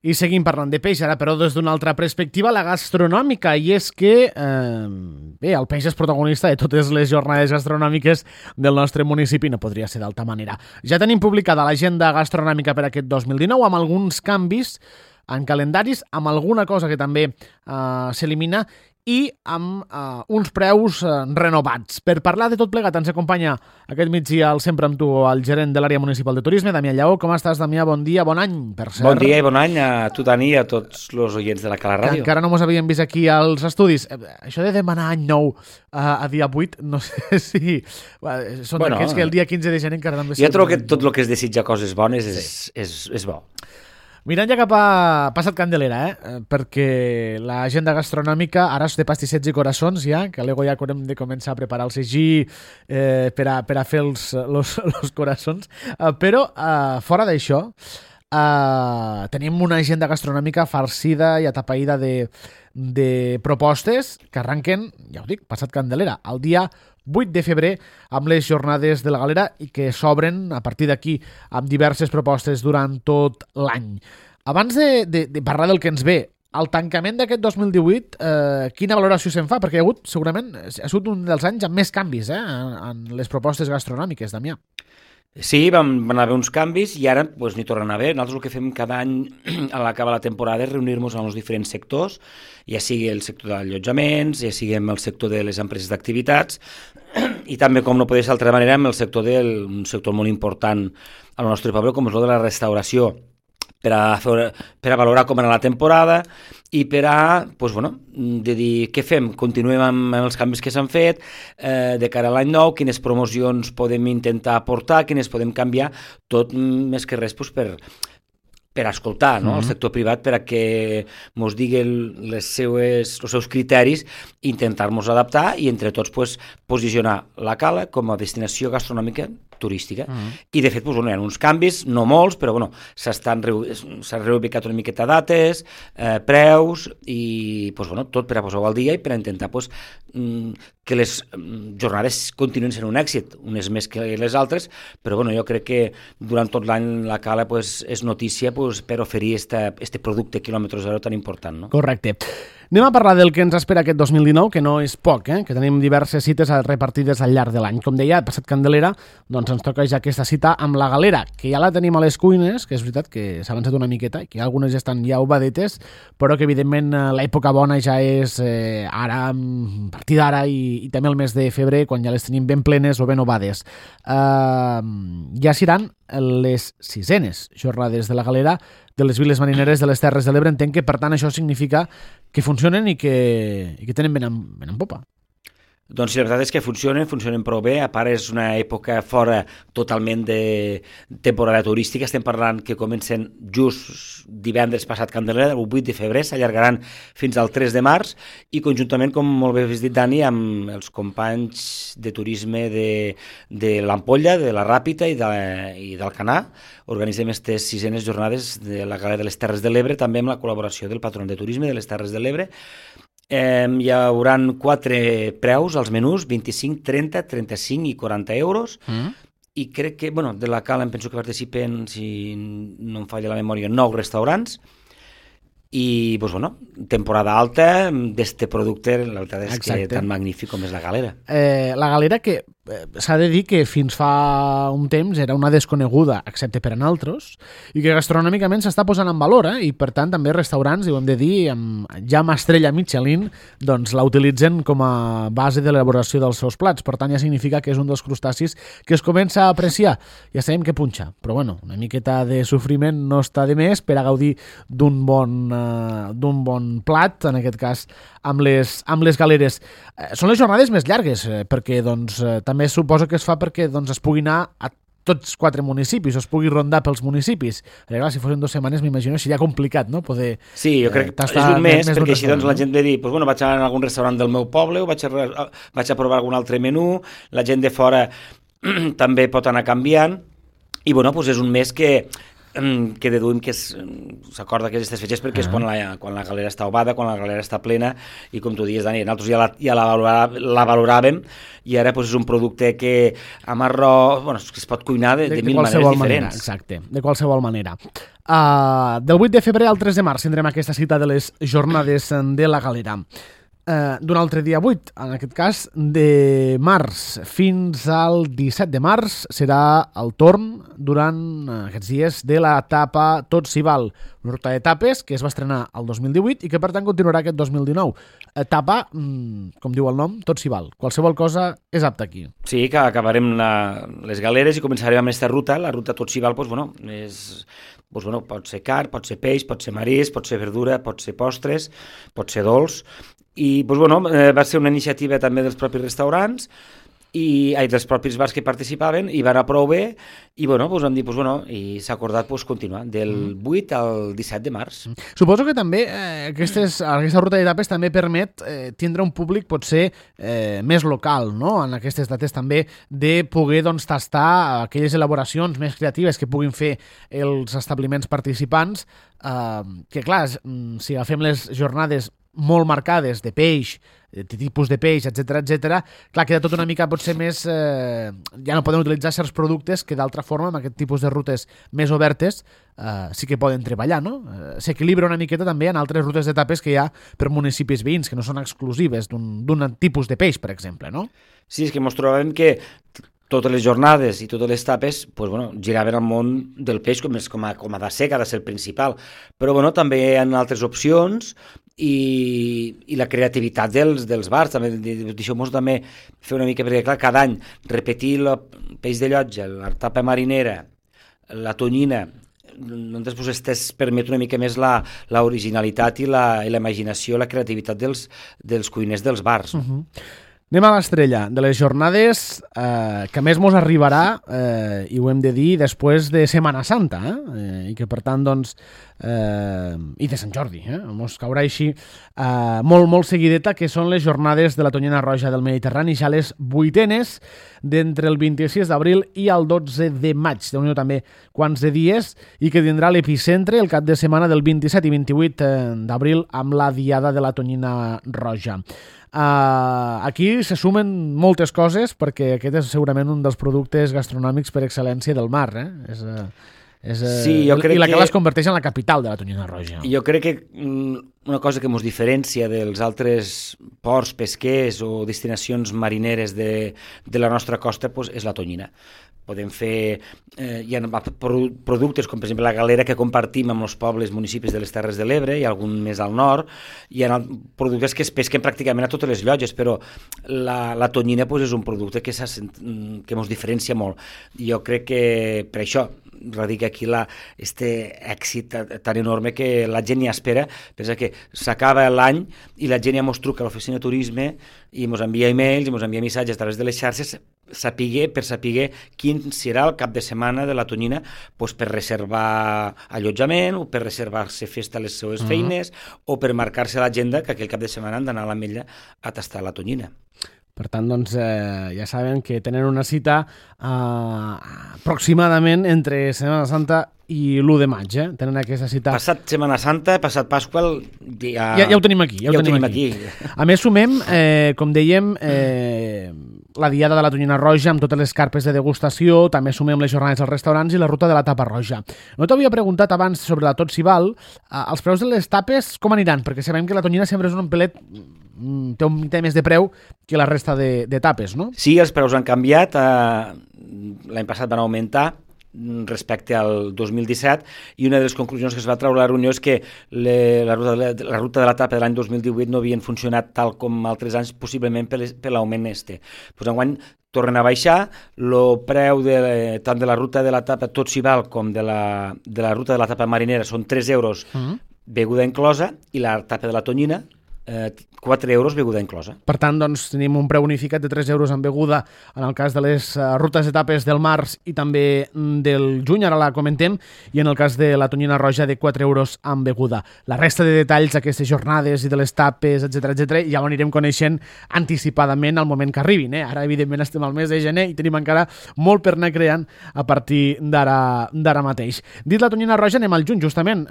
I seguim parlant de peix, ara però des d'una altra perspectiva, la gastronòmica, i és que el peix és protagonista de totes les jornades gastronòmiques del nostre municipi, no podria ser d'altra manera. Ja tenim publicada l'agenda gastronòmica per aquest 2019 amb alguns canvis en calendaris, amb alguna cosa que també s'elimina i amb uns preus renovats. Per parlar de tot plegat ens acompanya aquest migdia sempre amb tu el gerent de l'àrea municipal de turisme, Damià Lleó. Com estàs, Damià? Bon dia, bon any, per cert. Bon dia i bon any a tu, Dani, i a tots els oients de la Cala Ràdio. Que encara no mos havíem vist aquí als estudis. Això de demanar any nou a dia 8, no sé si... Són d'aquests que el dia 15 de gener encara també... Jo trobo que tot el que es desitja coses bones és bo. Mirant ja cap a Passat Candelera, perquè l'agenda gastronòmica ara és de pastissets i coraçons ja, que l'ego ja hem de començar a preparar el segí per a fer els coraçons, però fora d'això tenim una agenda gastronòmica farcida i atapeïda de propostes que arranquen, ja ho dic, Passat Candelera, el dia 8 de febrer amb les jornades de la Galera i que s'obren a partir d'aquí amb diverses propostes durant tot l'any. Abans de parlar del que ens ve, el tancament d'aquest 2018, quina valoració se'n fa? Perquè segurament ha sigut un dels anys amb més canvis en les propostes gastronòmiques, Damià. Sí, van haver uns canvis i ara n'hi tornen a haver. Nosaltres el que fem cada any a l'acabar la temporada és reunir-nos amb els diferents sectors, ja sigui el sector d'allotjaments, ja sigui el sector de les empreses d'activitats i també, com no podria ser d'altra manera, amb el sector un sector molt important al nostre poble, com és el de la restauració, per a valorar com era la temporada i per a, de dir què fem, continuem amb els canvis que s'han fet de cara a l'any nou, quines promocions podem intentar aportar, quines podem canviar, tot més que res per escoltar el sector privat per a que mos digui els seus criteris, intentar-nos adaptar i entre tots posicionar la Cala com a destinació gastronòmica turística. I de fet hi ha uns canvis, no molts, però s'han reubicat una miqueta dates, preus i tot per a posar-ho al dia i per a intentar que les jornades continuïn sent un èxit, unes més que les altres, però jo crec que durant tot l'any la Cala és notícia per oferir este producte quilòmetre zero tan important. No? Correcte. Anem a parlar del que ens espera aquest 2019, que no és poc, que tenim diverses cites repartides al llarg de l'any. Com deia, Passat Candelera, doncs ens toca ja aquesta cita amb la Galera, que ja la tenim a les cuines, que és veritat que s'ha avançat una miqueta, i que algunes ja estan ja obadetes, però que evidentment l'època bona ja és ara, a partir d'ara i també el mes de febrer, quan ja les tenim ben plenes o ben ovades. Ja seran les 6enes jornades de la Galera de les viles marineres de les Terres de l'Ebre. Entenc que, per tant, això significa que funcionen i que tenen ben en popa. Doncs sí, la veritat és que funcionen prou bé. A part, és una època fora totalment de temporada turística. Estem parlant que comencen just divendres passat Candelera, el 8 de febrer, s'allargaran fins al 3 de març i conjuntament, com molt bé has dit, Dani, amb els companys de turisme de l'Ampolla, de la Ràpita i d'Alcanar, organitzem aquestes 6enes jornades de la Galera de les Terres de l'Ebre, també amb la col·laboració del Patronat de Turisme de les Terres de l'Ebre. Hi haurà 4 preus als menús, 25, 30, 35 i 40 euros. I crec que, de la Cala em penso que participen, si no em falla la memòria, 9 restaurants. I, temporada alta d'este producte, la veritat és que tan magnífic com és la Galera. La Galera que s'ha de dir que fins fa un temps era una desconeguda, excepte per a nosaltres, i que gastronòmicament s'està posant en valor, i per tant també restaurants, i ho hem de dir, ja amb estrella Michelin, doncs la utilitzen com a base de l'elaboració dels seus plats. Per tant ja significa que és un dels crustacis que es comença a apreciar. Ja sabem que punxa, però una miqueta de sofriment no està de més per a gaudir d'un bon plat, en aquest cas amb les galeres. Són les jornades més llargues, perquè també suposo que es fa perquè es pugui anar a tots 4 municipis, o es pugui rondar pels municipis. Clar, si fossin 2 setmanes, m'imagino, seria complicat, no? Poder... Sí, jo crec que és un mes, perquè així la gent ve a dir, vaig a algun restaurant del meu poble, o vaig a provar algun altre menú, la gent de fora també pot anar canviant, i és un mes que que deduïm que s'acorda aquestes fetges perquè és quan la galera està ovada, quan la galera està plena, i com tu dius, Dani, nosaltres ja la valoràvem, i ara doncs, és un producte que amb arròs, que es pot cuinar de mil maneres diferents. Exacte, de qualsevol manera. Del 8 de febrer al 3 de març tindrem aquesta cita de les jornades de la galera. D'un altre dia 8, en aquest cas, de març fins al 17 de març, serà el torn durant aquests dies de l'etapa Tot s'hi val, una ruta d'etapes que es va estrenar el 2018 i que per tant continuarà aquest 2019. Etapa, com diu el nom, Tot s'hi val. Qualsevol cosa és apta aquí. Sí, que acabarem les galeres i començarem amb aquesta ruta. La ruta Tot s'hi val, pot ser carn, pot ser peix, pot ser marisc, pot ser verdura, pot ser postres, pot ser dolç. I va ser una iniciativa també dels propis restaurants i dels propis bars que participaven, i va anar prou bé, i vam dir, i s'ha acordat continuar del 8 al 17 de març. Suposo que també aquesta ruta d'etapes també permet tindre un públic potser més local, no? En aquestes dates també, de poder tastar aquelles elaboracions més creatives que puguin fer els establiments participants, que clar, si agafem les jornades molt marcades de peix, de tipus de peix, etc, clar, queda tot una mica potser més... ja no poden utilitzar certs productes que d'altra forma, amb aquest tipus de rutes més obertes, sí que poden treballar, no? S'equilibra una miqueta també en altres rutes d'etapes que hi ha per municipis veïns, que no són exclusives d'un tipus de peix, per exemple, no? Sí, és que ens trobem que totes les jornades i totes les etapes giraven al món del peix com a de ser, que ha de ser el principal. Però també hi ha altres opcions i la creativitat dels bars. Deixeu-nos també fer una mica, perquè clar, cada any repetir el peix de llotja, la tapa marinera, la tonyina, doncs permet una mica més l'originalitat i la imaginació, la creativitat dels cuiners dels bars. Anem a l'estrella de les jornades que més mos arribarà, i ho hem de dir, després de Setmana Santa, i que per tant, i de Sant Jordi, mos caurà així molt seguideta, que són les jornades de la Tonyina Roja del Mediterrani, ja les 8enes, d'entre el 26 d'abril i el 12 de maig, déu-n'hi-do també quants de dies, i que tindrà l'epicentre el cap de setmana del 27 i 28 d'abril amb la Diada de la Tonyina Roja. Aquí se sumen moltes coses, perquè aquest és segurament un dels productes gastronòmics per excel·lència del mar, sí, jo crec i la que les converteix en la capital de la Tonyina Roja. Jo crec que una cosa que ens diferencia dels altres ports pesquers o destinacions marineres de la nostra costa és la tonyina. Podem fer hi ha productes com per exemple la galera que compartim amb els pobles, municipis de les Terres de l'Ebre i algun més al nord. Hi ha productes que es pesquen pràcticament a totes les llotges, però la tonyina és un producte que ens diferencia molt. Jo crec que per això radica aquí este èxit tan enorme que la gent ja espera. Pensa que s'acaba l'any i la gent ja ens truca a l'oficina de turisme i ens envia e-mails i ens envia missatges a través de les xarxes per saber quin serà el cap de setmana de la tonyina, per reservar allotjament o per reservar-se festa a les seues feines o per marcar-se a l'agenda que aquell cap de setmana han d'anar a l'Ametlla a tastar la tonyina. Per tant, ja saben que tenen una cita aproximadament entre Setmana Santa i l'1 de maig, Tenen aquesta cita... Passat Setmana Santa, passat Pasqua... Ja ho tenim aquí. Ja ho tenim aquí. A més, sumem, com dèiem, la Diada de la Tonyina Roja amb totes les carpes de degustació, també sumem les jornades als restaurants i la ruta de la tapa roja. No t'havia preguntat abans sobre la Tot s'hi val, els preus de les tapes com aniran? Perquè sabem que la tonyina sempre és un pelet... té un mica més de preu que la resta de tapes, no? Sí, els preus han canviat. L'any passat van augmentar respecte al 2017 i una de les conclusions que es va treure a la reunió és que la ruta de la tapa de l'any 2018 no havien funcionat tal com altres anys, possiblement per l'augment enguany tornen a baixar. El preu tant de la ruta de la tapa Tot s'hi val com de la ruta de la tapa marinera són 3 euros, beguda inclosa, i la tapa de la tonyina 4 euros beguda inclosa. Per tant, doncs, tenim un preu unificat de 3 euros en beguda en el cas de les rutes etapes del març i també del juny, ara la comentem, i en el cas de la tonyina roja de 4 euros en beguda. La resta de detalls d'aquestes jornades i de les tapes, etc ja ho anirem coneixent anticipadament al moment que arribin. Ara, evidentment, estem al mes de gener i tenim encara molt per anar creant a partir d'ara mateix. Dit la tonyina roja, anem al juny, justament,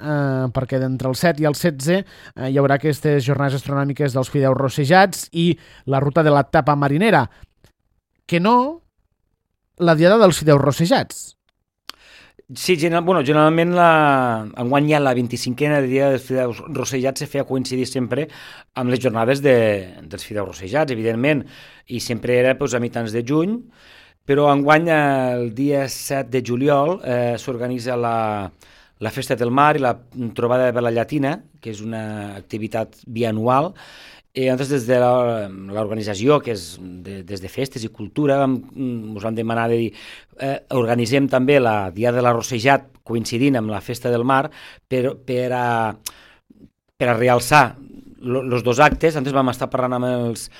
perquè d'entre el 7 i el 16 hi haurà aquestes jornades astronòmiques dels fideus rossejats i la ruta de la tapa marinera, que no la diada dels fideus rossejats. Sí, generalment enguany ja la 25a dia dels fideus rossejats se feia coincidir sempre amb les jornades dels fideus rossejats, evidentment, i sempre era a mitjans de juny, però enguany el dia 7 de juliol s'organitza la Festa del Mar i la Trobada de la Llatina, que és una activitat bianual. Nosaltres, des de l'organització, que és des de Festes i Cultura, us vam demanar de dir organitzem també la Diada de l'Arrossejat coincidint amb la Festa del Mar per a realçar els dos actes. Antes vam estar parlant amb els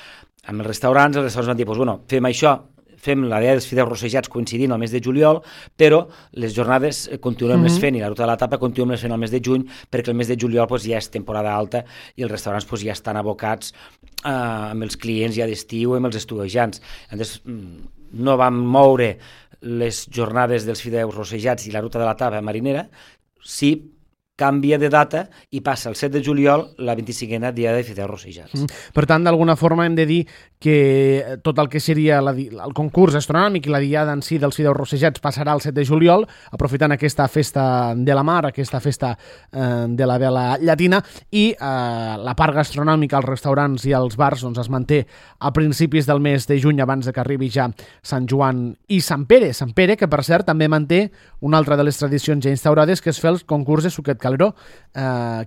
restaurants, els restaurants van dir, fem això, fem la Diada dels Fideus Rossejats coincidint al mes de juliol, però les jornades continuem les fent i la ruta de la tapa continuem les fent al mes de juny, perquè el mes de juliol ja és temporada alta i els restaurants ja estan abocats amb els clients ja d'estiu, amb els estudiants. Llavors, no vam moure les jornades dels Fideus Rossejats i la ruta de la tapa marinera, sí canvia de data i passa el 7 de juliol la 25a Diada de Fideus Rossejats. Per tant, d'alguna forma hem de dir que tot el que seria el concurs astronòmic i la diada en si dels fideus rossejats passarà el 7 de juliol, aprofitant aquesta festa de la mar, aquesta festa de la vela llatina, i la part gastronòmica als restaurants i als bars es manté a principis del mes de juny, abans de que arribi ja Sant Joan i Sant Pere. Sant Pere, que per cert també manté una altra de les tradicions ja instaurades, que és fer el concurs de suquet Calderó,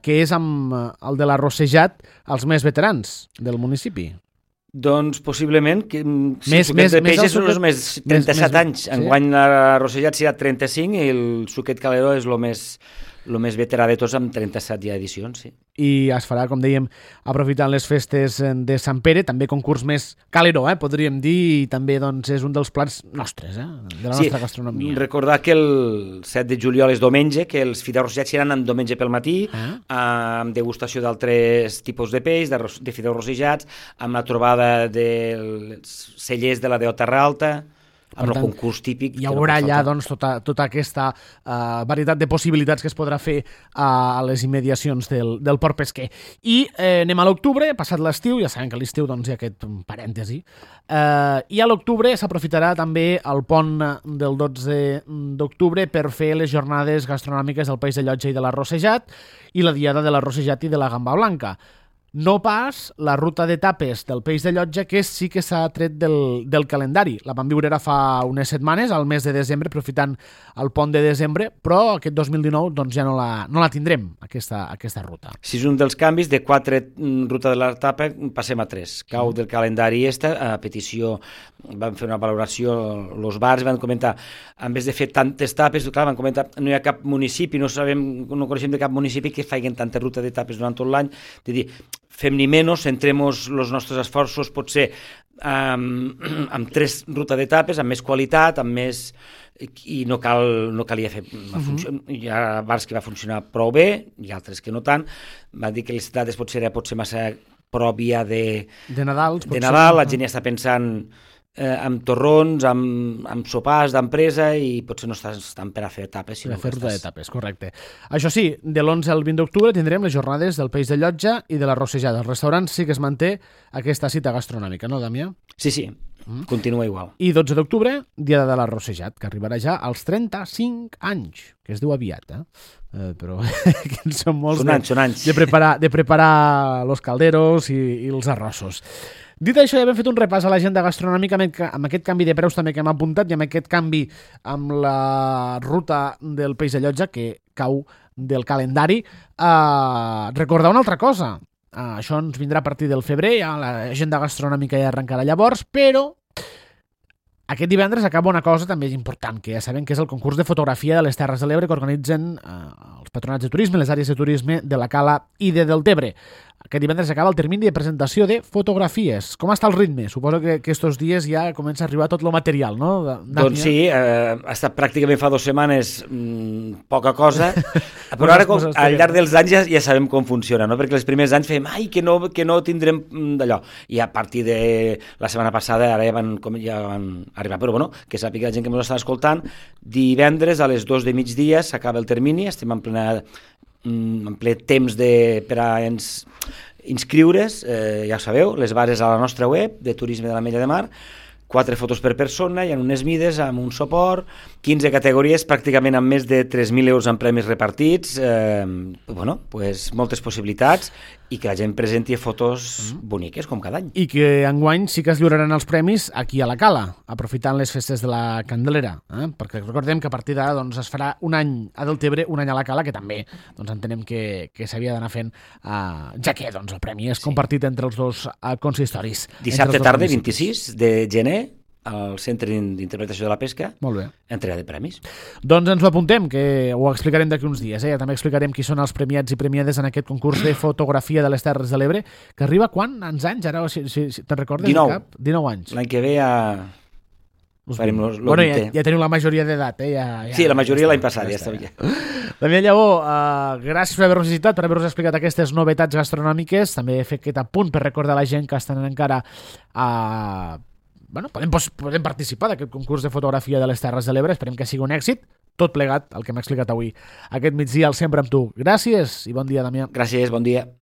que és amb el de l'arrossejat als més veterans del municipi. Doncs possiblement que el suquet de peix és els més 37 anys. Enguany l'arrossejat serà 35 i el suquet Calderó és el més veterà de tots, amb 37 ja edicions, sí. I es farà, com dèiem, aprofitant les festes de Sant Pere, també concurs més Calderó, podríem dir, i també és un dels plats nostres, de la nostra gastronomia. Recordar que el 7 de juliol és diumenge, que els fideus rossejats seran en diumenge pel matí, amb degustació d'altres tipus de peix, de fideus rossejats, amb la trobada dels cellers de la Déu Terra Alta, amb el concurs típic. Hi haurà allà tota aquesta varietat de possibilitats que es podrà fer a les immediacions del port pesquer. I anem a l'octubre, passat l'estiu, ja sabem que a l'estiu hi ha aquest parèntesi, i a l'octubre s'aprofitarà també el pont del 12 d'octubre per fer les jornades gastronòmiques del Peix de Llotja i de l'arrossejat i la diada de l'arrossejat i de la gamba blanca. No pas la ruta d'etapes del Peix de Llotja, que sí que s'ha tret del calendari. La vam viure ara fa unes setmanes, al mes de desembre, aprofitant el pont de desembre, però aquest 2019 ja no la tindrem, aquesta ruta. Si és un dels canvis, de 4 ruta de l'etapa passem a 3. Cau del calendari a petició, van fer una valoració, els bars van comentar, en vez de fer tantes tapes, van comentar, no hi ha cap municipi, no coneixem de cap municipi que facin tantes rutes d'etapes durant tot l'any, de dir, fem-n'hi menys, centrem els nostres esforços potser amb 3 rutes d'etapes, amb més qualitat, amb més... i no calia fer... Hi ha bars que va funcionar prou bé, i altres que no tant. Van dir que les dates potser massa pròpia de Nadal, la gent ja està pensant amb torrons, amb sopars d'empresa, i potser no estan per a fer etapes. Per a fer ruta d'etapes, correcte. Això sí, de l'11 al 20 d'octubre tindrem les jornades del Peix de Llotja i de l'arrossejada. Als restaurants sí que es manté aquesta cita gastronòmica, no, Damià? Sí, continua igual. I 12 d'octubre, Diada de l'arrossejat, que arribarà ja als 35 anys, que es diu aviat, però que són molts són anys. De preparar los calderos i els arrossos. Dit això, ja hem fet un repàs a l'agenda gastronòmica amb aquest canvi de preus també que hem apuntat i amb aquest canvi amb la ruta del Peix de Llotja, que cau del calendari. Recordar una altra cosa. Això ens vindrà a partir del febrer, ja l'agenda gastronòmica ja arrencarà llavors, però aquest divendres acaba una cosa també important, que ja sabem que és el concurs de fotografia de les Terres de l'Ebre que organitzen els patronats de turisme, les àrees de turisme de la Cala i de Deltebre. aquest divendres acaba el termini de presentació de fotografies. Com està el ritme? Suposo que estos dies ja comença a arribar tot el material, no? Doncs sí, ha estat pràcticament fa 2 setmanes poca cosa, però ara al llarg dels anys ja sabem com funciona, no? Perquè els primers anys fèiem que no tindrem d'allò, i a partir de la setmana passada ara ja van arribar, però bueno, que sàpiga la gent que ens està escoltant, divendres a les 2 de migdia s'acaba el termini, estem en ple temps per a inscriure's, ja ho sabeu, les bases a la nostra web de Turisme de l'Ametlla de Mar, 4 fotos per persona, hi ha unes mides amb un suport, 15 categories, pràcticament amb més de 3.000 euros en premis repartits, moltes possibilitats, i que la gent presenti fotos boniques, com cada any. I que enguany sí que es lliuraran els premis aquí a la Cala, aprofitant les festes de la Candelera, perquè recordem que a partir d'ara es farà un any a Deltebre, un any a la Cala, que també entenem que s'havia d'anar fent, ja que el premi és compartit entre els dos consistoris. Dissabte tarda, 26 de gener, al Centre d'Interpretació de la Pesca, molt bé, entrega de premis. Doncs ens ho apuntem, que ho explicarem d'aquí uns dies. També explicarem qui són els premiats i premiades en aquest concurs de fotografia de les Terres de l'Ebre, que arriba quants anys? Ara, si te'n recordes? 19 anys. L'any que ve ja farem ja teniu la majoria d'edat. Sí, la majoria l'any passat, ja està bé. Damià Lleó, gràcies per haver-nos visitat, per haver-nos explicat aquestes novetats gastronòmiques. També he fet aquest apunt per recordar la gent que estan encara podem participar d'aquest concurs de fotografia de les Terres de l'Ebre. Esperem que sigui un èxit, tot plegat, el que m'ha explicat avui aquest migdia al Sempre amb tu. Gràcies i bon dia, Damià. Gràcies, bon dia.